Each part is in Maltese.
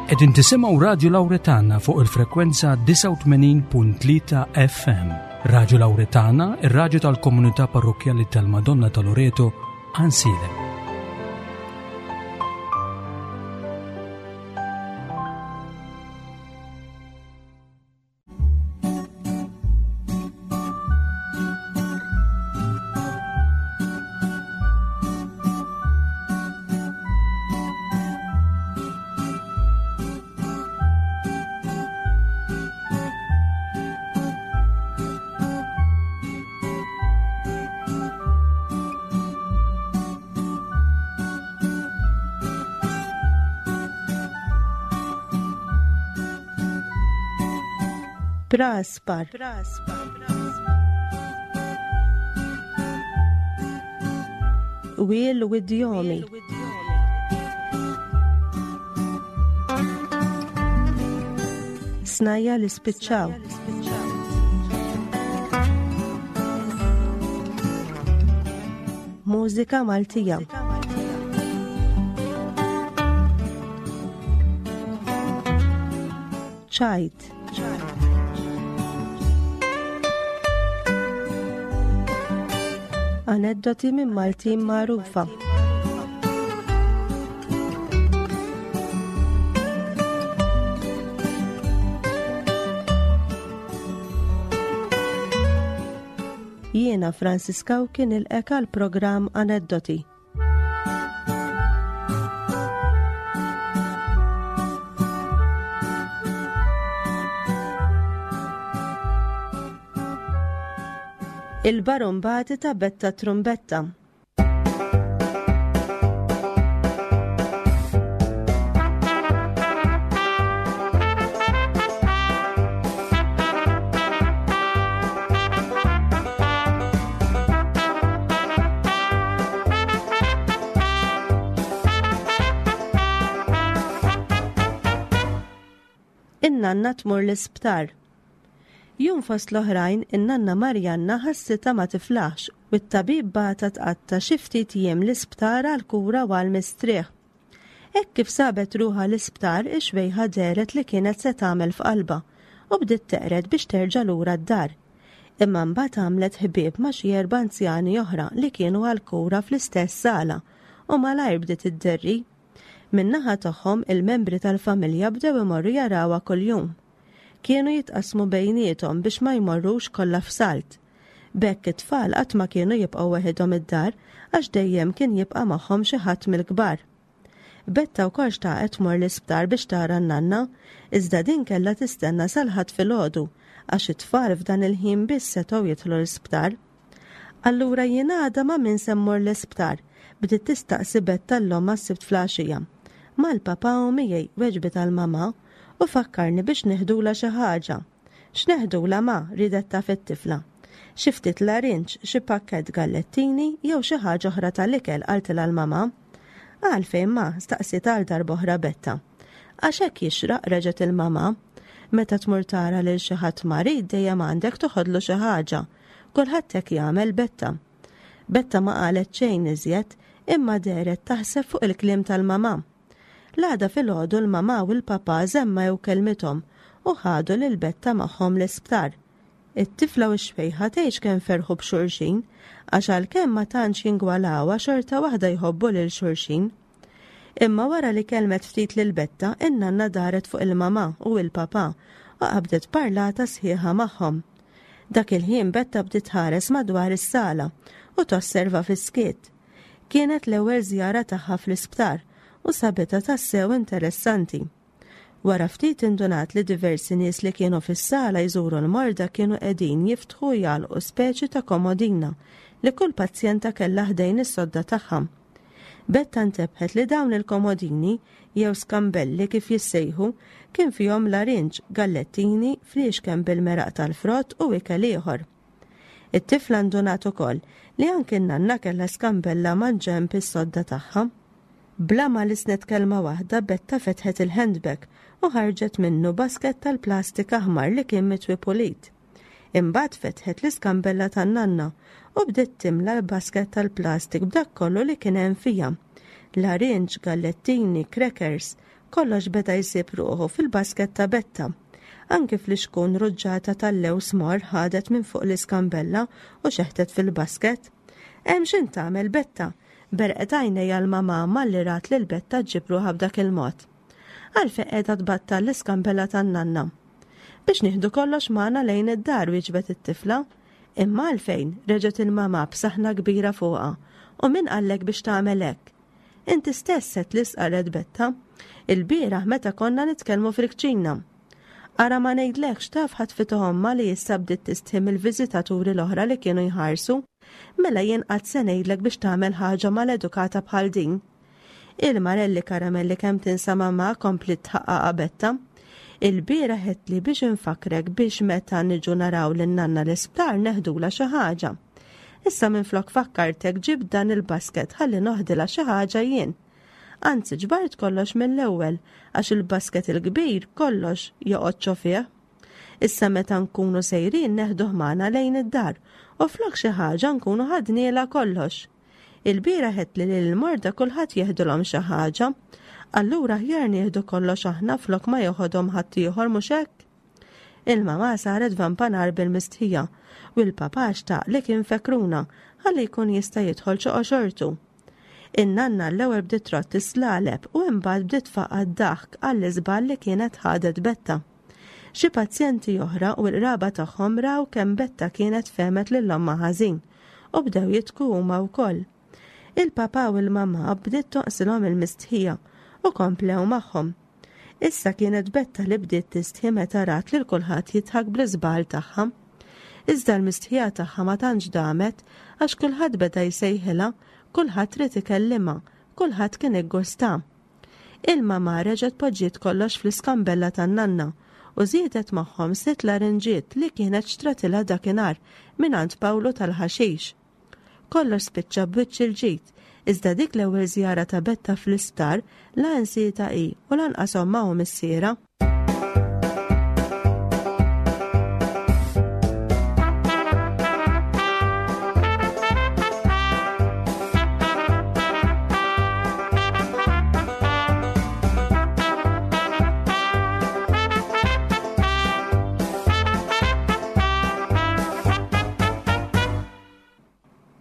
Qegħdin tisimgħu Radju Lawretana fuq il-frekwenza 89.3 FM. Radju Lawretana, ir-radju tal-komunità parrokkjali tal-Madonna ta' Loreto, Ansilem. Praspar. Wiel u idjomi. Snajja li spiċċaw. Mużika Maltija. Ċajt. Aneddoti minn Maltin magħrufa. Jiena Francis Cauchi nilqek għal programm Aneddoti. Il-barumbati ta' Betta Trumbetta. In-nanna tmur l-isptar. Jum fost l-oħrajn, in-nanna Marjanna ħassitha ma tiflaħx u t-tabib bagħatha tqatta' xi ftit jiem l-isptar għall-kura u għall-mistrieħ. Hekk kif sabet ruħha l-isptar, ix-xwejħa dehret li kienet se tagħmel f'qalbha u bdiet teqred biex terġa' lura d-dar. Imma mbagħad għamlet ħbieb ma' xi erba' anzjani oħra li kienu għall-kura fl-istess sala u malajr bdiet idderri. Min-naħa tagħhom il-membri tal-familja bdew imorru jarawha kuljum. Kienu jitqassmu bejniethom biex ma jmorrux kollha f'salt. B'hekk it-tfal qatt ma kienu jibqgħu weħidhom id-dar għax dejjem kien jibqa' magħhom xi ħadd mill-kbar. Betta wkoll xtaqet tmur l-isptar biex tara n-nanna, iżda din kellha tistenna sal-Ħadd filgħodu għax it-tfal f'dan il-ħin biss setgħu jidħlu l-isptar. Allura jien għada ma' min se mmur l-isptar? bdiet tistaqsi Betta 'l ommha s-Sibt fl-għaxija. Mal-papà u miegħi, weġbitha l-mamà, u fakkarni biex neħdulha xi ħaġa. X'neħdulha ma, riedet taf it-tifla. Xi ftit larinġ, xi pakkett gallettini jew xi ħaġa oħra tal-ikel, qaltilha l-mamà. Għalfejn ma? staqsietha għal darb'oħra Betta. Għax hekk jixraq, reġgħet il-mamà. Meta tmur tara lil xi ħadd marid dejjem għandek toħodlu xi ħaġa. Kulħadd hekk jagħmel, Betta. Betta ma qalet xejn iżjed, imma dehret taħseb fuq il-kliem tal-mamà. L-għada filgħodu l-mamà u l-papà żemmew kelmithom u ħadu lil Betta magħhom l-isptar. It-tifla u x-xwejħa tgħidx kemm ferħu b'xulxin, għax għalkemm ma tantx jingwalawha xorta waħda jħobbu lil xulxin. Imma wara li kellmet ftit lil Betta, in-nanna daret fuq il-mamà u il-papà u qabdet parlata sħiħa magħhom. Dak il-ħin Betta bdiet tħares madwar is-sala u tosserva fis-skiet. Kienet l-ewwel żjara tagħha fl-isptar u sabitha tassew interessanti. Wara ftit indunat li diversi nies li kienu fis-sala jżuru l-morda kienu qegħdin jiftħu u jagħlqu speċi ta' komodina li kull pazjenta kellha ħdejn is-sodda tagħha. Betta ntebħet li dawn il-komodini, jew skambelli kif jissejħu, kien fihom larinġ, gallettini, fliexken bil-meraq tal-frott u ikel ieħor. It-tifla ndunat ukoll li anki n-nanna kellha skambella mal-ġenb is-sodda tagħha. Bla ma lissnet kelma waħda Betta fetħet il-handbag u ħarġet minnu basket tal-plastik aħmar li kien mitwi pulit. Imbagħad fetħet l-iskambella tan-nanna u bdiet timla l-basket tal-plastik b'dak kollu li kien hemm fiha. Larinġ, gallettini, crackers, Kollox beda jsib ruħu fil-basket ta' Betta. Anki flixkun ruġġata tal-lewż morr ħadet minn fuq l-iskambella u xeħtet fil-basket. Hemm x'int tagħmel, Betta? Berqet għajnejha l-mamà malli rat lil Betta ġġib ruħha b'dak il-mod. Għalfejn qiegħda tbattal l-iskambella tan-nanna? Biex nieħdu kollox magħna lejn id-dar, wieġbet it-tifla. Imma għalfejn? reġgħet il-mamà b'saħna kbira fuqha. U min qallek biex tagħmel hekk? Inti stess għedtli stqarret Betta. Ilbieraħ meta konna nitkellmu fil-kċina. Ara ma ngħidlekx taf ħatfitha ommha li issa bdiet tistħi mill-viżitaturi l-oħra li kienu jħarsu. Mela jien qatt se ngħidlek biex tagħmel ħaġa maledukata bħal din. Il-marelli karamelli kemm tinsa mamà kompliet tħaqqaqha Betta. Ilbieraħ għedtli biex infakkrek biex meta niġu naraw lin-nanna l-isptar neħdulha xi ħaġa. Issa minflok fakkartek ġibt dan il-basket ħalli noħdilha xi ħaġa jien. Anzi ġbart kollox mill-ewwel għax il-basket il-kbir kollox joqgħod ġo fih. Issa meta nkunu sejrin neħduh magħna lejn id-dar u flok xi ħaġa nkunu ħadnielha kollox. Ilbieraħ għedtli li lill-morda kulħadd jeħdilhom xi ħaġa. Allura aħjar nieħdu kollox aħna flok ma joħodhom ħaddieħor mhux hekk? Il-mamà saret vampa nar bil-mistħija u l-papà xtaq li kien fekruna ħalli jkun jista' jidħol ġo qoxortu. In-nanna l-ewwel bdiet trodd is-slaleb u imbagħad bdiet tfaqqa' d-daħk għall-iżball li kienet ħadet Betta. Xi pazjenti oħra u l-qraba tagħhom raw kemm Betta kienet fehmet lil ommha ħażin u bdew jidħku huma wkoll. Il-papà u l-mamà bdiet tonqsilhom il-mistħija u komplew magħhom. Issa kienet Betta li bdiet tistħi meta rat lil kulħadd jidħak bl-iżball tagħha. Iżda l-mistħija tagħha ma tantx damet għax kulħadd beda jsejħilha, kulħadd ried ikellimha, kulħadd kien iggusta. Il-mamà reġgħet poġġiet kollox fl-iskambella tan-nanna u żiedet magħhom sitt larinġiet li kienet xtratilha dakinhar mingħand Pawlu tal-ħaxix. Kollox spiċċa b'wiċċ il-ġid, iżda dik l-ewwel żjara ta' Betta fl-isptar la nsietha hi u lanqas ommha u missierha.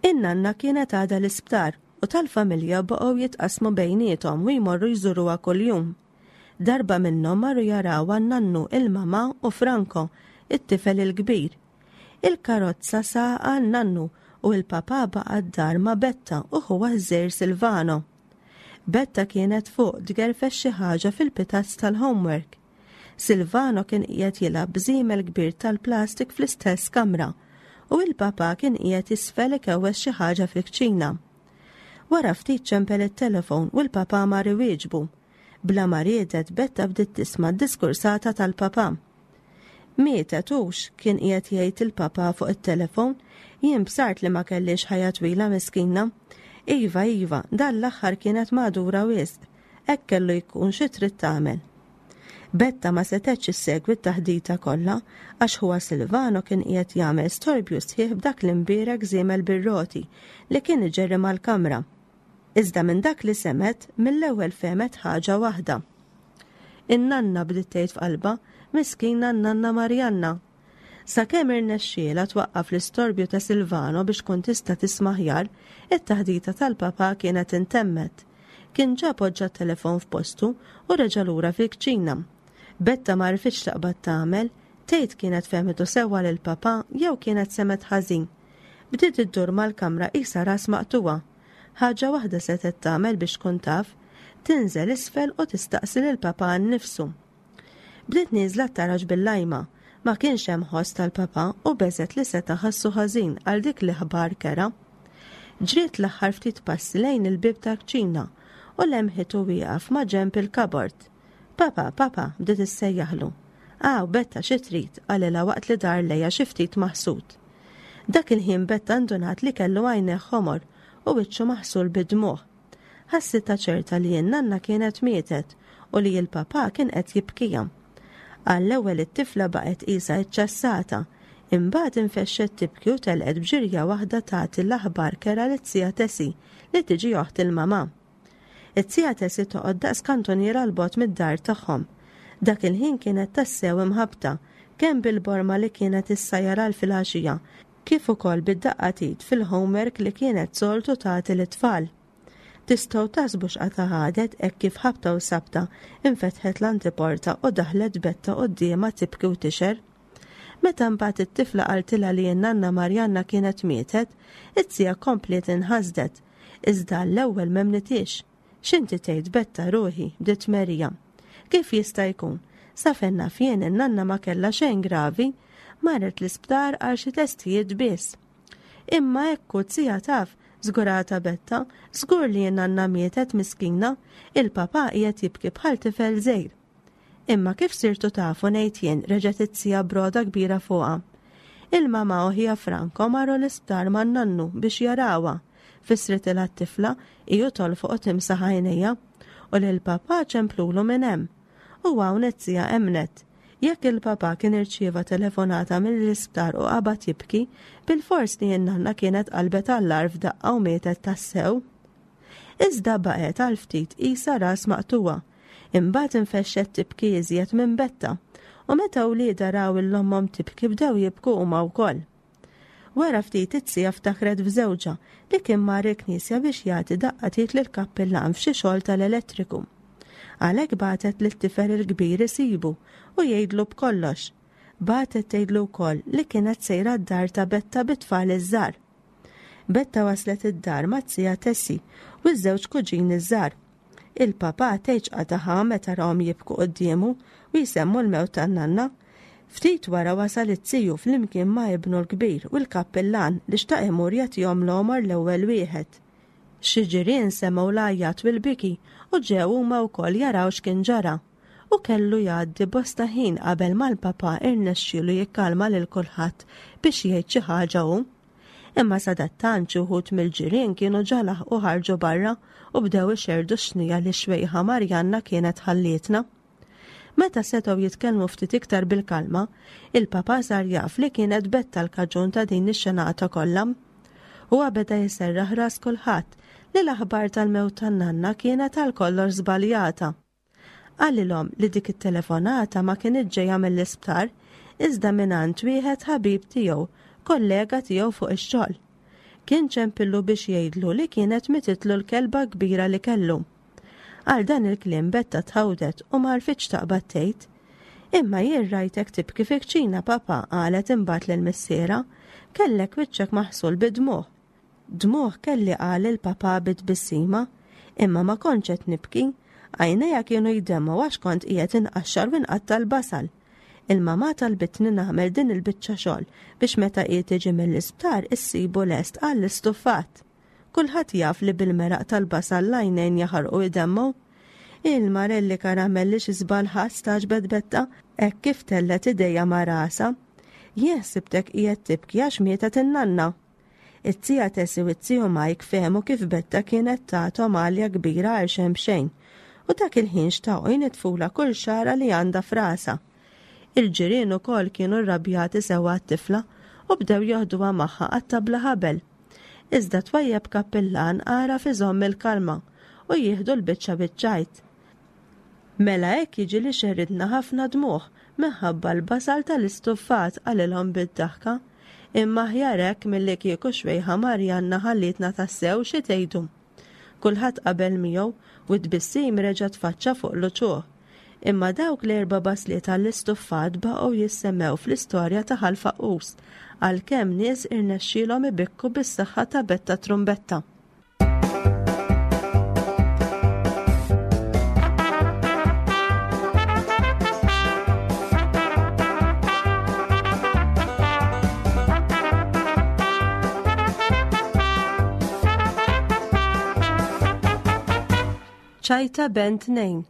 In-nanna kienet għadha l-isptar u tal-familja baqgħu jitqassmu bejniethom u jmorru jżuruha kuljum. Darba minnhom marru jarawha n-nannu, il-mamà u Franco, it-tifel il-kbir. Il-karozza saqha n-nannu u l-papà baqa' d-dar ma' Betta u ħuha ż-żgħir Silvano. Betta kienet fuq tgerfex xi ħaġa fil-pitazz tal-homework. Silvano kien qiegħed jilgħab b'żiemel kbir tal-plastik fl-istess kamra u il-papà kien qiegħed isfel ikewwes xi ħaġa fil-kċina. Wara ftit ċempel it-telefon u l-papà mar iwieġbu. Bla ma riedet Betta bdiet tisma' d-diskursata tal-papà. Mietet hux, kien qiegħed jgħid il-papà fuq it-telefon, jien bsart li ma kellhiex ħajja twila miskina. Iva, iva, dan l-aħħar kienet magħdura wisq. Hekk kellu jkun xi trid tagħmel. Betta ma setgħetx issegwi t-taħdita kollha għax ħuha Silvano kien qiegħed jagħmel storbju sħiħ b'dak l-imbierek żiemel bir-roti li kien iġerri mal-kamra. Iżda minn dak li semgħet, mill-ewwel fehmet ħaġa waħda. In-nanna bdiet tgħid f'qalbha, miskina n-nanna Marjanna. Sakemm irnexxielha twaqqaf l-istorbju ta' Silvano biex tkun tista' tisma' aħjar, it-taħdita tal-papà kienet intemmet. Kien ġa poġġa t-telefon f'postu u reġa' lura fil-kċina. Betta ma għarfitx x'taqbad tagħmel, tgħid kienet fehmitu sewwa lill-papà jew kienet semgħet ħażin. Bdiet iddur mal-kamra qisha ras maqtugħa. Ħaġa waħda setgħet tagħmel biex tkun taf, tinżel isfel u tistaqsi lill-papà nnifsu. Bdiet nieżla t-taraġ bil-lajma. Ma kienx hemm ħoss tal-papà u beżgħet li seta' ħassu ħażin għal dik l-aħbar kerha. Ġriet l-aħħar ftit passi lejn il-bieb tal-kċina u lemħitu wieqaf ma' ġenb il-kabord. Papà, papà, bdiet issejjaħlu. Aw, Betta xi trid? qalilha waqt li dar lejha xi ftit maħsud. Dak il-ħin Betta ndunat li kellu għajnejh ħomor u wiċċu maħsul bid-dmugħ. Ħassitha ċerta li n-nanna kienet mietet u li l-papà kien qed jibkiha. Għall-ewwel it-tifla baqgħet qisha iċċassata, imbagħad infexxet tibki u telqet b'ġirja waħda tagħti l-aħbar kerha liz-zija Tessie li tiġi oħt il-mamà. It-tija Tessie toqgħod daqs kantuniera 'l bogħod mid-dar tagħhom. Dak il-ħin kienet tassew imħabbta, kemm bil-borma li kienet issajjar għal filgħaxija, kif ukoll bid-daqqa t'id fil-homework li kienet soltu tagħti lit-tfal. Tistgħu taħsbu x'qatgħa ħadet hekk kif ħabta u sabta infetħet l-antiporta u daħlet Betta quddiemha tibki u tixher. Meta mbagħad it-tifla qaltilha li n-nanna Marjanna kienet mietet, it-tija kompliet inħasdet. Iżda għall-ewwel m'emmnithiex. X'inti tgħid Betta ruħi, bdiet Maria. Kif jista' jkun? Sa fejn naf jien in-nanna ma kellha xejn gravi. Marret l-isptar għal xi testijiet biss. Imma hekk hu t-tija taf, żgurata Betta, żgur li n-nanna mietet miskina, il-papà qiegħed jibki bħal tifel żgħir. Imma kif sirtu tafu ngħid jien, reġgħet it-tija b'rogħda kbira fuqha. Il-mamà u ħija Franco marru l-isptar man-nannu biex jarawha, fissritilha t-tifla hi u tolfoq u timsaħ għajnejha. U lill-papà ċemplulu minn hemm. U hawn it-tija emmnet. Jekk il-papà kien irċieva telefonata mill-isptar u qabad jibki, bilfors li n-nanna kienet qalbet għall-agħar f'daqqa u mietet tassew. Iżda baqgħet għal ftit qisha ras maqtugħa. Imbagħad infexxet tibki iżjed minn Betta, u meta wliedha raw 'il ommhom tibki bdew jibku huma wkoll. Wara ftit it-tija ftakret f'żewġha li kien mar il-knisja biex jagħti daqqa t'id lill-kappillan f'xi xogħol tal-elettriku. Għalhekk bagħtet lit-tifel il-kbir isibu u jgħidlu b'kollox. Bagħtet tgħidlu wkoll li kienet sejra d-dar ta' Betta bit-tfal iż-żgħar. Betta waslet id-dar mat-tija Tessie u ż-żewġ kuġini ż-żgħar. Il-papà tgħidx qatagħha meta rahom jibku quddiemu u jsemmu l-mewt tan-nanna. Ftit wara wasal iz-ziju flimkien ma' ibnu l-kbir u l-kappillan li xtaq imur jagħtihom l-għomor l-ewwel wieħed. Xi ġirien semgħu l-għajjat u l-biki u ġew huma wkoll jaraw x'kien ġara. U kellu jgħaddi bosta ħin qabel ma l-papà irnexxielu jikkalma lil kulħadd biex jgħid xi ħaġa hu. Imma sadattant xi wħud mill-ġirien kienu ġa laħqu ħarġu barra u bdew ixerrdu x-xnija li x-xwejħa Marjanna kienet ħallietna. Meta setgħu jitkellmu ftit iktar bil-kalma, il-Papa sar jaf li kienet Betta l-kaġun ta' din ix-xenata kollha. Huwa beda jserraħ ras kulħadd li l-aħbar tal-mewt tan-nanna kienet għal kollox żbaljata. Qalilhom li dik it-telefonata ma kinitx ġejja mill-isptar, iżda mingħand wieħed ħabib tiegħu, kollega tiegħu fuq ix-xogħol. Kien ċempillu biex jgħidlu li kienet mititlu l-kelba kbira li kellu. Għal dan il-kliem Betta tħawdet u ma għarfitx taqbad tgħid. Imma jien rajtek tibki fi kċina, papa, qalet imbagħad lil missierha. Kellek wiċċek maħsul bid-dmugħ. Dmugħ kelli qal il-papà bi tbissima, imma ma kontx qed nibki, għajnejja kienu jdemmgħu għax kont qiegħed inqaxxar u nqatta' l-basal. Il-mamà talbitni nagħmel din il-biċċa xogħol biex meta hi tiġi mill-isptar issibu lest għall-istuffat. Kulħadd jaf li bil-meraq tal-basal l-għajnejn jaħarqu jdemmgħu. Il-Marelli Karamelli xi żball ħadt stagħġbet Betta hekk kif tellgħet idejha ma' rasha. Jien ħsibtek qiegħed tibki għax mietet in-nanna. It-tija Tessie u t-tiju Mike fehmu kif Betta kienet tathom għalja kbira għal xejn b'xejn, u dak il-ħin xtaqu jnitfulha kull xagħra li għandha f'rasha. Il-ġirien ukoll kienu rrabjati sewwa għat-tifla u bdew joħduha magħha qatta' bla ħabel. Iżda twajjeb kappillan għaraf iżomm il-kalma u jieħdu l-biċċa biċ-ċajt. Mela hekk jiġi li xerridna ħafna dmugħ minħabba l-basal tal-istuffat, qalilhom bid-daħka. Imma aħjar hekk milli kieku xwejħa Marjanna ħallietna tassew, xi tgħidu? Kulħadd qabel miegħu u t-tbissim reġa' tfaċċa fuq l-uċuħ. Imma dawk l-erba' basliet għall-istuffat baqgħu jissemmew fl-istorja ta' Ħal Faqqus, għalkemm nies irnexxielhom ibikku bis-saħħa ta' Betta Trumbetta. ċajta bent nejn.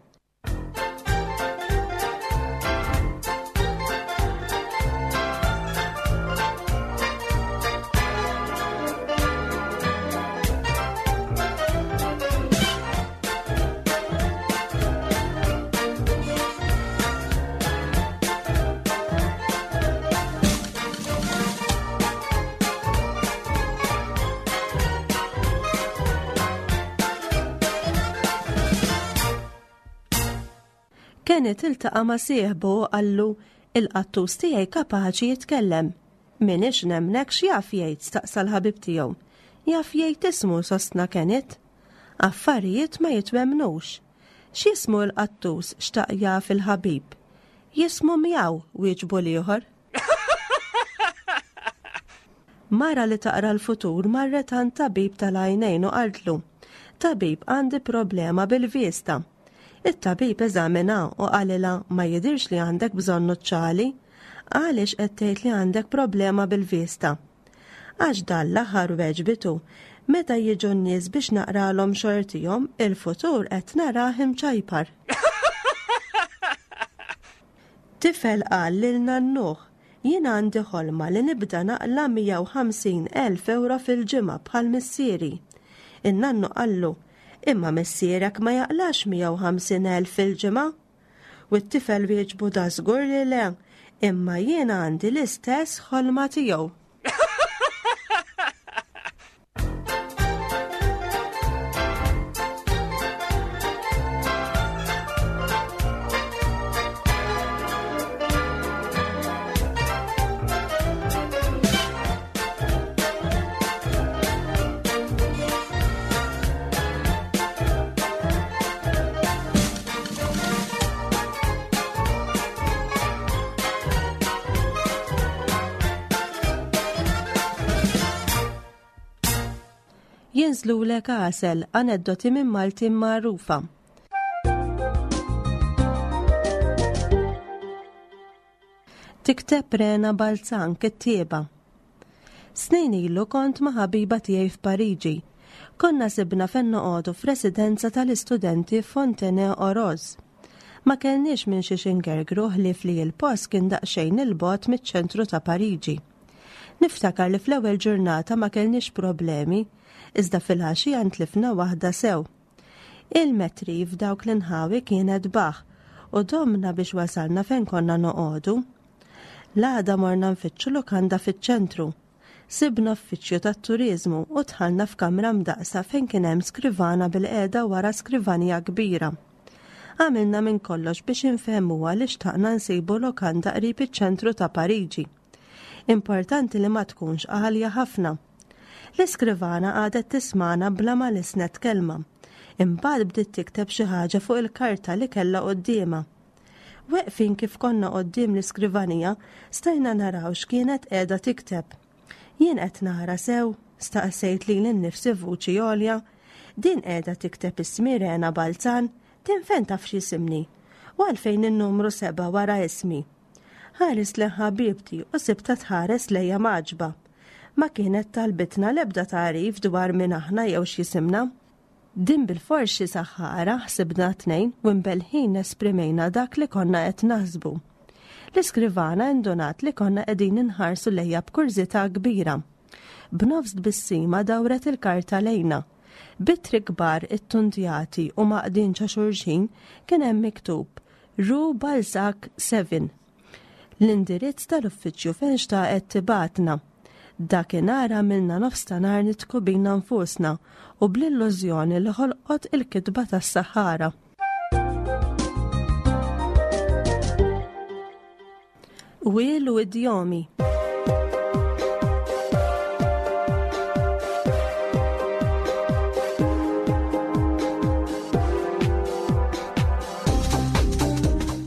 Kenneth iltaqa' ma' sieħbu u qallu, Il-qattus tiegħi kapaċi jitkellem. M'iniex nemmnek x'jaf jgħid staqsa l-ħabib tiegħu. Jaf jgħid ismu sostna Kenneth. Affarijiet ma jitwemmnux. X'jismu l-qattus xtaq jaf il-ħabib. Jismu Mjaw wieġbu l-ieħor. Mara li taqra l-futur marret għand tabib tal-għajnejn u qaltlu, Tabib għandi problema bil-vista. It-tabib eżamina u qalilha ma jidhirx li għandek bżonn nuċċali. Għaliex qed tgħid li għandek problema bil-vista? Għax dan l-aħħar weġbitu, meta jiġu n-nies biex naqralhom xortihom, il-futur qed narah imċajpar. Tifel qal lil nannuh, Jien għandi ħolma li nibda naqla' 150,000 ewro fil-ġimgħa bħal missieri. In-nannu qallu, Imma missierek ma jaqlax 150,000 fil-ġimgħa? U t-tifel wieġbu dażgur li le, imma jien għandi l-istess ħolma tiegħu. Jinżlulek għasel, aneddoti minn Maltin magħrufa. Tikteb Rena Balzan kittieba. Snin ilu kont ma' ħabiba tiegħi f'Pariġi. Konna sibna fejn noqogħdu f'residenza tal-istudenti f'Fontenay-aux-Roses. Ma kellniex minn xiex ingergru ħlief li l-post kien daqsxejn 'il bogħod miċ-ċentru ta' Pariġi. Niftakar li fl-ewwel ġurnata ma kellniex problemi, iżda filgħaxija ntlifna waħda sew. Il-metri f'dawk l-inħawi kienet baħħ u domna biex wasalna fejn konna noqogħdu. L-għada morna nfittxu lukanda fiċ-ċentru. Sibna uffiċċju tat-turiżmu u dħalna f'kamra mdaqqsa fejn kien hemm skrivana bilqiegħda wara skrivanija kbira. Għamilna minn kollox biex infehmuha li xtaqna nsibu lokanda qrib iċ-ċentru ta' Pariġi. Importanti li ma tkunx għalja ħafna. L-iskrivana qagħdet tismagħna bla ma lissnet kelma. Imbagħad bdiet tikteb xi ħaġa fuq il-karta li kellha quddiemha. Weqfin kif konna quddiem l-iskrivanija, stajna naraw x'kienet qiegħda tikteb. Jien qed nara sew? staqsejt lili nnifsi f'vuċi għolja. Din qiegħda tikteb ismi Rena Balzan, din fejn taf x'jisimni? U għalfejn in-numru sebgħa wara ismi? Ħarist lejn ħabibti u sibtha tħares lejja mgħaġġba. Ma kienet talbitna l-ebda tagħrif dwar min aħna jew x'jisimna. Din bilfors xi saħħara, ħsibna t-tnejn u imbellħin esprimejna dak li konna qed naħsbu. L-iskrivana indunat li konna qegħdin inħarsu lejha b'kurżità kbira. B'nofs tbissima dawret il-karta lejna. B'ittri kbar ittundjati u mgħaqqdin ġo xulxin kien hemm miktub Rue Balzac 7. L-indirizz tal-uffiċċju fejn xtaqet tibgħatna. Dakinhar għamilna nofs ta' nhar nidħku bina nfusna u bl-illużjoni li ħolqot il-kitba tas-saħħara. Qwiel u idjomi.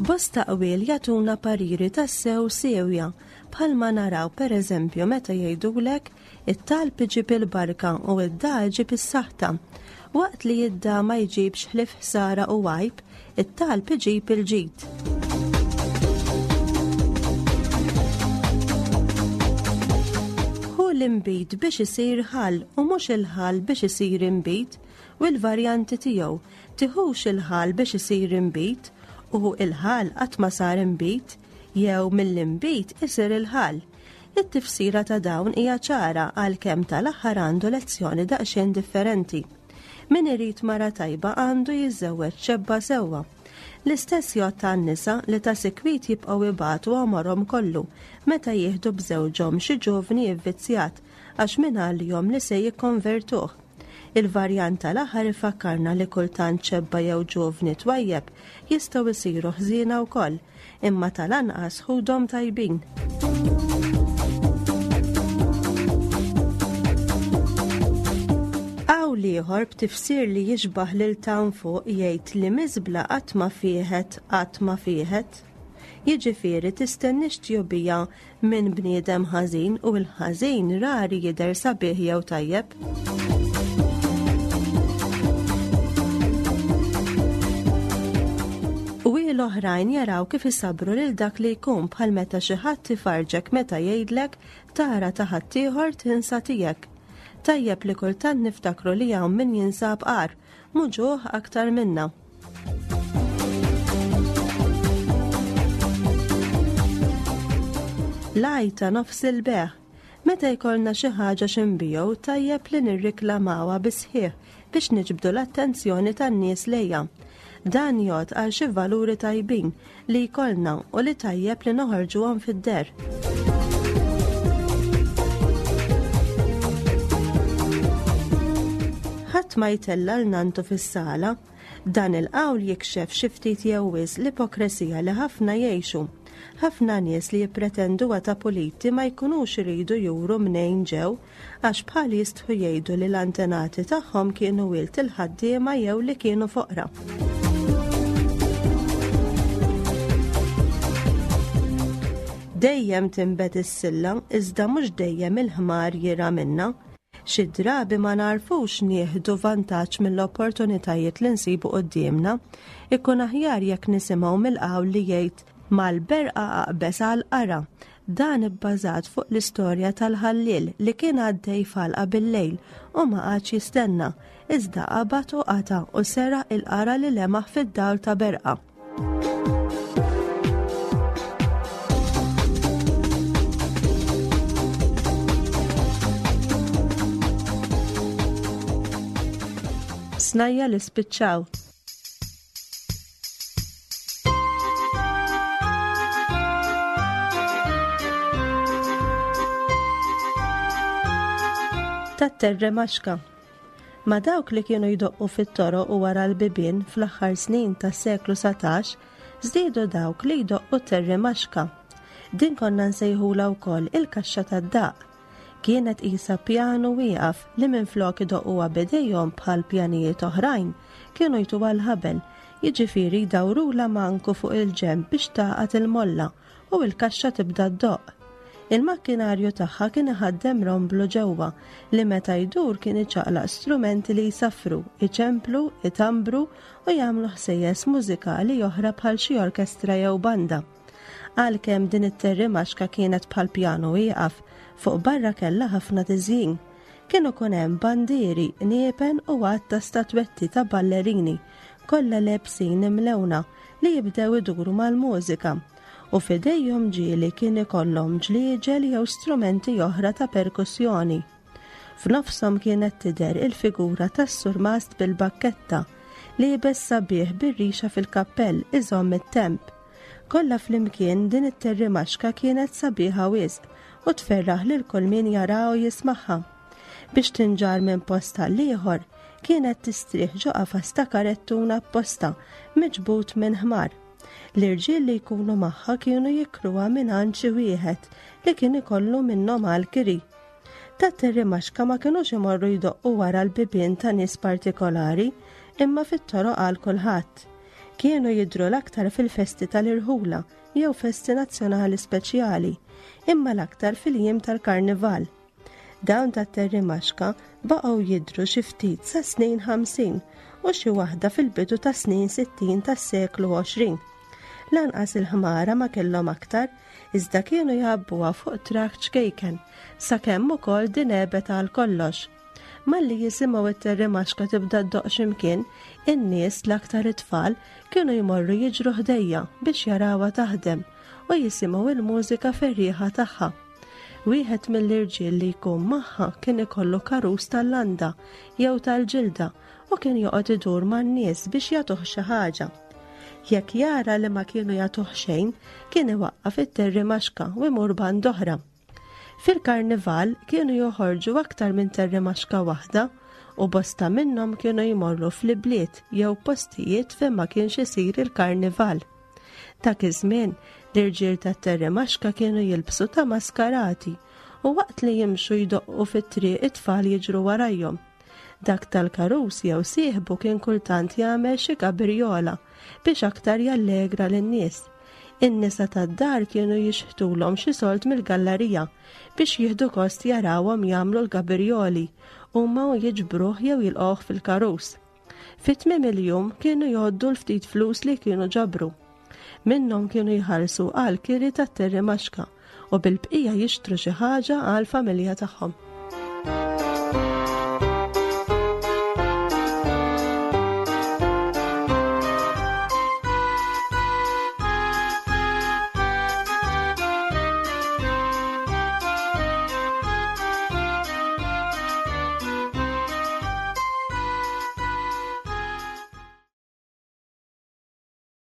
Bosta qwiel jagħtuna pariri tassew siewja, bħalma naraw pereżempju meta jgħidulek it-talb iġib il-barka u id-dagħa iġib is-saħta. Waqt li id-dagħa ma jġibx ħlief ħsara u għajb, it-talb iġib il-ġid. Ħu l-inbid biex isir ħall u mhux il-ħall biex isir inbid u l-varjanti tiegħu Tiħux il-ħall biex isir inbid u il-ħall qatt ma sar inbid jew mill-inbid isir il-ħall. It-tifsira ta' dawn hija ċara għalkemm tal-aħħar għandu lezzjoni daqsxejn differenti. Min irid mara tajba għandu jiżżewweġ xebba sewwa. L-istess jgħodd għan-nisa li ta' sikwit jibqgħu ibatu għomorhom kollu meta jieħdu b'żewġhom xi ġuvni ivvizzjat għax mingħalihom li se jikkonvertuh. Il-varjant tal-aħħar ifakkarna li kultant xebba jew ġuvni twajjeb jistgħu jsiru ħżiena wkoll, imma tal-anqas ħudhom tajbin. Qawl ieħor b'tifsir li jixbah lil t'hawn fuq jgħid li miżbla qatt ma fieħet qatt ma fieħet. Jiġifieri tistenniex tjubija minn bniedem ħażin u l-ħażin rari jidher sabiħ jew tajjeb. U l-oħrajn jaraw kif isabru lil dak li jkun bħal meta xi ħadd ifarġek meta jgħidlek tara ta' ħaddieħor tinsa tiegħek. Tajjeb li kultant niftakru li hawn min jinsab agħar, muġugħ aktar minna. L-għajta nofs il-beħ. Meta jkollna xi ħaġa x'inbigħu tajjeb li nirriklamawha bis-sħiħ biex niġbdu l-attenzjoni tan-nies lejha. Dan jgħodd għal xi valuri tajbin li jkollna u li tajjeb li noħorġuhom fid-deher. Ħadd ma jtella' 'l nanntu fis-sala. Dan il-qawl jikxef xi ftit jew wisq l-ipokresija li ħafna jgħixu. Ħafna nies li jippretenduha ta' puliti ma jkunux iridu juru mnejn ġew għax bħal jistħu jgħidu li l-antenati tagħhom kienu wild il-ħaddiema jew li kienu foqra. Dejjem tinbet is-silla iżda mhux dejjem il-ħmar jirgħa minnha. Xi drabi ma nagħrfux nieħdu vantaġġ mill-opportunitajiet li nsibu quddiemna. Ikun aħjar jekk nisimgħu mill-qawl li jgħid mal-berqa aqbeż għall-qara. Dan ibbażat fuq l-istorja tal-ħalliel li kien għaddej f'għalqa bil-lejl u ma qagħadx jistenna, iżda qabad u qata' u seraq il-qara li lemaħ fid-dawl ta' berqa. Snajja li spiċċaw. Tat-terre maxka. Ma' dawk li kienu jdoqqu fit-toroq u wara l-bibien fl-aħħar snin tas-seklu 19, żdiedu dawk li jdoqqu t-terrimaxka. Din konna nsejħulha wkoll il-kaxxa tad-daqq. Kienet qisha pjanu wieqaf li minflok idoqquha b'idejhom bħal pjanijiet oħrajn, kienu jtuha l-ħabel, jiġifieri jdawrulha manku fuq il-ġenb biex tagħqad il-molla u l-kaxxa tibda ddoqq. Il-makkinarju tagħha kien iħaddem romblu ġewwa li meta jdur kien iċaqlaq strumenti li jsaffru, iċemplu, itambru u jagħmlu ħsejjes mużikali oħra bħal xi orkestra jew banda. Għalkemm din it-terrimaxka kienet bħal pjanu wieqaf, fuq barra kellha ħafna tiżjin. Kien ikun hemm bandieri, qniepen u għadd ta' statwetti ta' ballerini, kollha lebsin imlewna li jibdew iduru mal-mużika u f'idejhom ġieli kien ikollhom ġlieġel jew strumenti oħra ta' perkussjoni. F'nofshom kienet tidher il-figura tas-surmast bil-bakketta, liebes sabiħ bir-rixa fil-kappell iżomm it-temp. Kollha flimkien din it-terrimaxka kienet sabiħa wisq u tferraħ lil kull min jaraha u jismagħha. Biex tinġarr minn post għal ieħor, kienet tistrieħ ġo qafas ta' karettun apposta miġbud minn ħmar. L-irġiel li jkunu magħha kienu jikruha mingħand xi wieħed li kien ikollu minnhom għall-kiri. Tat-terrimaxka ma kinux imorru jdoqqu wara l-bibien ta' nies partikolari, imma fit-toroq għal kulħadd. Kienu jidhru l-aktar fil-festi tal-irħula jew festi nazzjonali speċjali, imma l-aktar fil-jiem tal-karnival. Dawn tat-terrimaxka baqgħu jidhru xi ftit sas-snin 50 u xi waħda fil-bidu tas-snin 60 tas-seklu 20. Lanqas il-ħmara ma kellhom aktar, iżda kienu jgħabbuha fuq trakk ċkejken, sakemm ukoll din għebet għal kollox. Malli jisimgħu t-terrimaxka tibda ddoqq x'imkien, in-nies, l-aktar it-tfal, kienu jmorru jiġru ħdejja biex jarawha taħdem u jisimgħu l-mużika ferrieħa tagħha. Wieħed mill-irġiel li jkun magħha kien ikollu karus tal-landa jew tal-ġilda u kien joqgħod idur man-nies biex jagħtuh xi ħaġa. Jekk jara li ma kienu jagħtuh xejn, kien iwaqqaf it-terrimaxka u jmur band oħra. Fil-karnival kienu joħorġu aktar minn terrimaxka waħda. u bosta minnhom kienu jmorru fl-ibliet jew postijiet fejn ma kienx isir il-karnival. Dak iż-żmien, l-irġiel tat-Terremaxka kienu jilbsu ta' maskarati u waqt li jimxu jdoqqu fit-triq it-tfal jiġru warajhom. Dak tal-karus jew sieħbu kien kultant jagħmel xi gabirjola biex aktar jallegra lin-nies. In-nisa tad-dar kienu jixħtulhom xi sold mill-gallarija biex jieħdu gost jarawhom jagħmlu l-gabirjoli huma u jiġbruh jew jilqgħuh fil-karus. Fi tmiem il-jum kienu jgħoddu l-ftit flus li kienu ġabru. Minnhom kienu jħallsu għal kiri tat-terrimaxka u bil-bqija jixtru xi ħaġa għall-familja tagħhom.